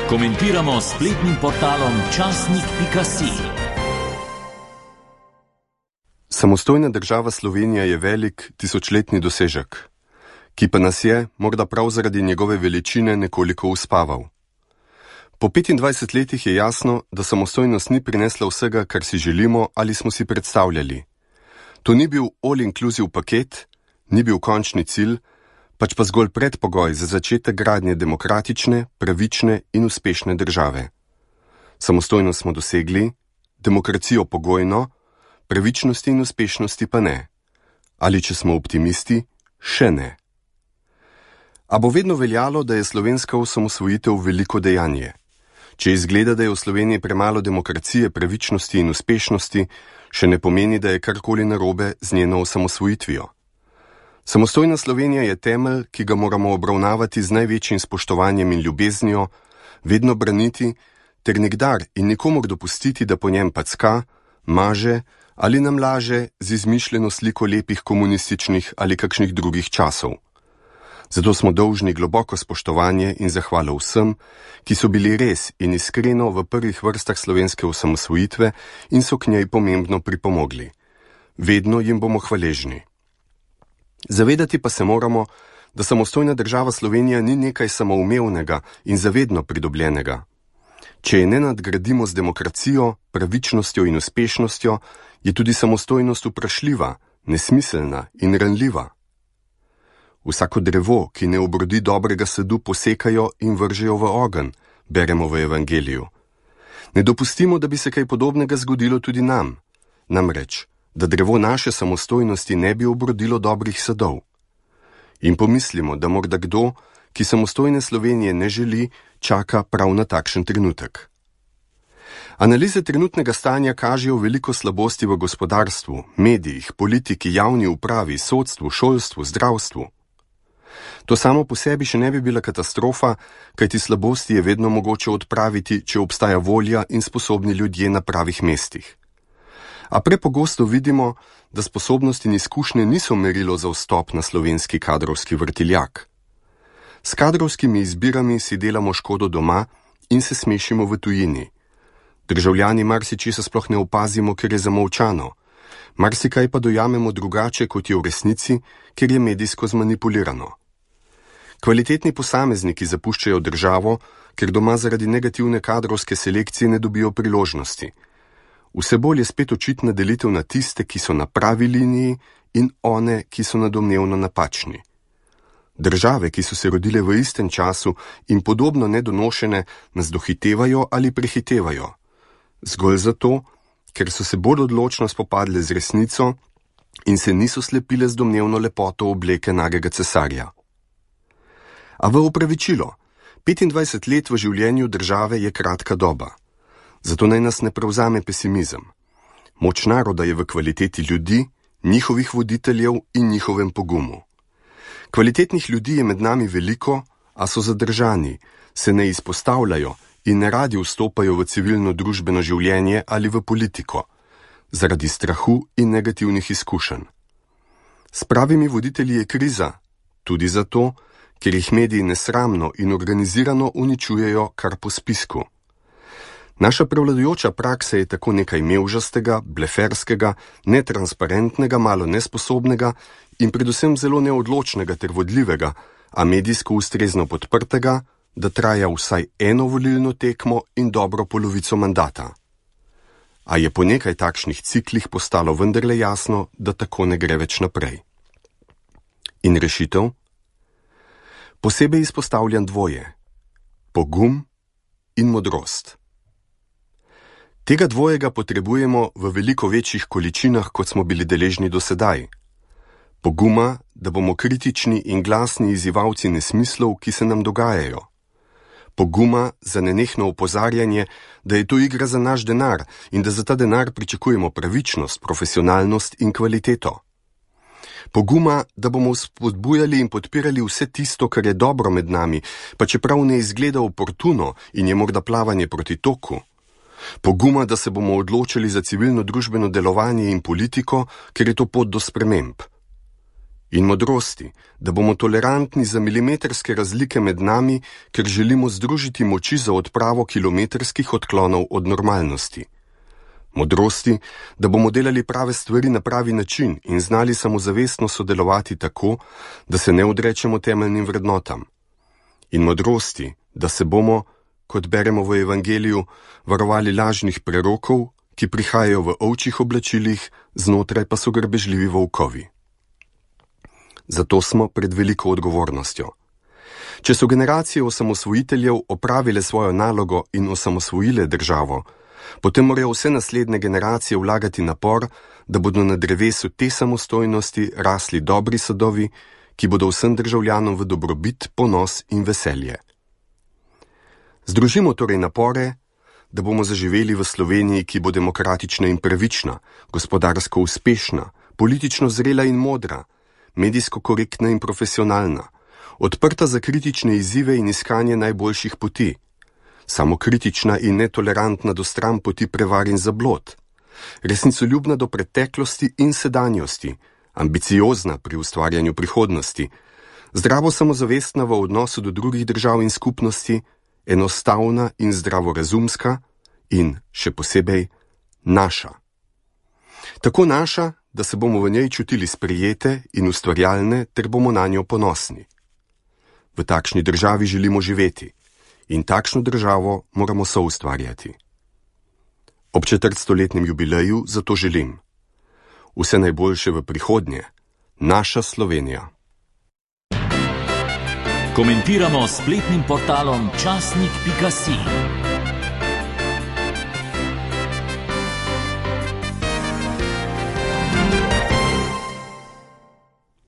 Komentiramo s spletnim portalom časnik.si. Samostojna država Slovenija je velik tisočletni dosežek, ki pa nas je, morda prav zaradi njegove veličine, nekoliko uspaval. Po 25 letih je jasno, da samostojnost ni prinesla vsega, kar si želimo ali smo si predstavljali. To ni bil all-inclusive paket, ni bil končni cilj, pač pa zgolj predpogoj za začetek gradnje demokratične, pravične in uspešne države. Samostojnost smo dosegli, demokracijo pogojno, pravičnosti in uspešnosti pa ne. Ali če smo optimisti, še ne. A bo vedno veljalo, da je slovenska osamosvojitev veliko dejanje. Če izgleda, da je v Sloveniji premalo demokracije, pravičnosti in uspešnosti, še ne pomeni, da je karkoli narobe z njeno osamosvojitvijo. Samostojna Slovenija je temelj, ki ga moramo obravnavati z največjim spoštovanjem in ljubeznijo, vedno braniti, ter nikdar in nikomor dopustiti, da po njem packa, maže ali nam laže z izmišljeno sliko lepih komunističnih ali kakšnih drugih časov. Zato smo dolžni globoko spoštovanje in zahvalo vsem, ki so bili res in iskreno v prvih vrstah slovenske osamosvojitve in so k njej pomembno pripomogli. Vedno jim bomo hvaležni. Zavedati pa se moramo, da samostojna država Slovenija ni nekaj samoumevnega in zavedno pridobljenega. Če je ne nadgradimo z demokracijo, pravičnostjo in uspešnostjo, je tudi samostojnost vprašljiva, nesmiselna in ranljiva. Vsako drevo, ki ne obrodi dobrega sadu, posekajo in vržejo v ogenj, beremo v Evangeliju. Ne dopustimo, da bi se kaj podobnega zgodilo tudi nam. Namreč, da drevo naše samostojnosti ne bi obrodilo dobrih sadov. In pomislimo, da morda kdo, ki samostojne Slovenije ne želi, čaka prav na takšen trenutek. Analize trenutnega stanja kažejo veliko slabosti v gospodarstvu, medijih, politiki, javni upravi, sodstvu, šolstvu, zdravstvu. To samo po sebi še ne bi bila katastrofa, kajti slabosti je vedno mogoče odpraviti, če obstaja volja in sposobni ljudje na pravih mestih. A prepogosto vidimo, da sposobnosti in izkušnje niso merilo za vstop na slovenski kadrovski vrtiljak. S kadrovskimi izbirami si delamo škodo doma in se smešimo v tujini. Državljani marsičesa sploh ne opazimo, ker je zamolčano. Marsikaj pa dojamemo drugače, kot je v resnici, ker je medijsko zmanipulirano. Kvalitetni posamezniki zapuščajo državo, ker doma zaradi negativne kadrovske selekcije ne dobijo priložnosti. Vse bolj je spet očitna delitev na tiste, ki so na pravi liniji, in one, ki so na domnevno napačni. Države, ki so se rodile v istem času in podobno nedonošene, nas dohitevajo ali prehitevajo. Zgolj zato, ker so se bolj odločno spopadle z resnico in se niso slepile z domnevno lepoto obleke nagega cesarja. A v opravičilo, 25 let v življenju države je kratka doba. Zato naj nas ne prevzame pesimizem. Moč naroda je v kvaliteti ljudi, njihovih voditeljev in njihovem pogumu. Kvalitetnih ljudi je med nami veliko, a so zadržani, se ne izpostavljajo in ne radi vstopajo v civilno družbeno življenje ali v politiko, zaradi strahu in negativnih izkušenj. S pravimi voditelji je kriza, tudi zato, ker jih mediji nesramno in organizirano uničujejo kar po spisku. Naša prevladujoča praksa je tako nekaj mevžastega, bleferskega, netransparentnega, malo nesposobnega in predvsem zelo neodločnega ter vodljivega, a medijsko ustrezno podprtega, da traja vsaj eno volilno tekmo in dobro polovico mandata. A je po nekaj takšnih ciklih postalo vendarle jasno, da tako ne gre več naprej. In rešitev? Posebej izpostavljam dvoje: pogum in modrost. Tega dvojega potrebujemo v veliko večjih količinah, kot smo bili deležni do sedaj. Poguma, da bomo kritični in glasni izzivalci nesmislov, ki se nam dogajajo. Poguma za nenehno opozarjanje, da je to igra za naš denar in da za ta denar pričakujemo pravičnost, profesionalnost in kvaliteto. Poguma, da bomo spodbujali in podpirali vse tisto, kar je dobro med nami, pa čeprav ne izgleda oportuno in je morda plavanje proti toku. Poguma, da se bomo odločili za civilno družbeno delovanje in politiko, ker je to pot do sprememb. In modrosti, da bomo tolerantni za milimetrske razlike med nami, ker želimo združiti moči za odpravo kilometrskih odklonov od normalnosti. Modrosti, da bomo delali prave stvari na pravi način in znali samozavestno sodelovati tako, da se ne odrečemo temeljnim vrednotam. In modrosti, da se bomo, kot beremo v Evangeliju, varovali lažnih prerokov, ki prihajajo v ovčjih oblačilih, znotraj pa so grbežljivi volkovi. Zato smo pred veliko odgovornostjo. Če so generacije osamosvojiteljev opravile svojo nalogo in osamosvojile državo, potem morajo vse naslednje generacije vlagati napor, da bodo na drevesu te samostojnosti rasli dobri sadovi, ki bodo vsem državljanom v dobrobit, ponos in veselje. Združimo torej napore, da bomo zaživeli v Sloveniji, ki bo demokratična in pravična, gospodarsko uspešna, politično zrela in modra, medijsko korektna in profesionalna, odprta za kritične izzive in iskanje najboljših poti, samokritična in netolerantna do stran poti prevar in zablod, resnicoljubna do preteklosti in sedanjosti, ambiciozna pri ustvarjanju prihodnosti, zdravo samozavestna v odnosu do drugih držav in skupnosti, enostavna in zdravorazumska in, še posebej, naša. Tako naša, da se bomo v njej čutili sprejete in ustvarjalne, ter bomo na njo ponosni. V takšni državi želimo živeti in takšno državo moramo soustvarjati. Ob 400-letnem jubileju zato želim vse najboljše v prihodnje, naša Slovenija. Komentiramo s spletnim portalom časnik.si.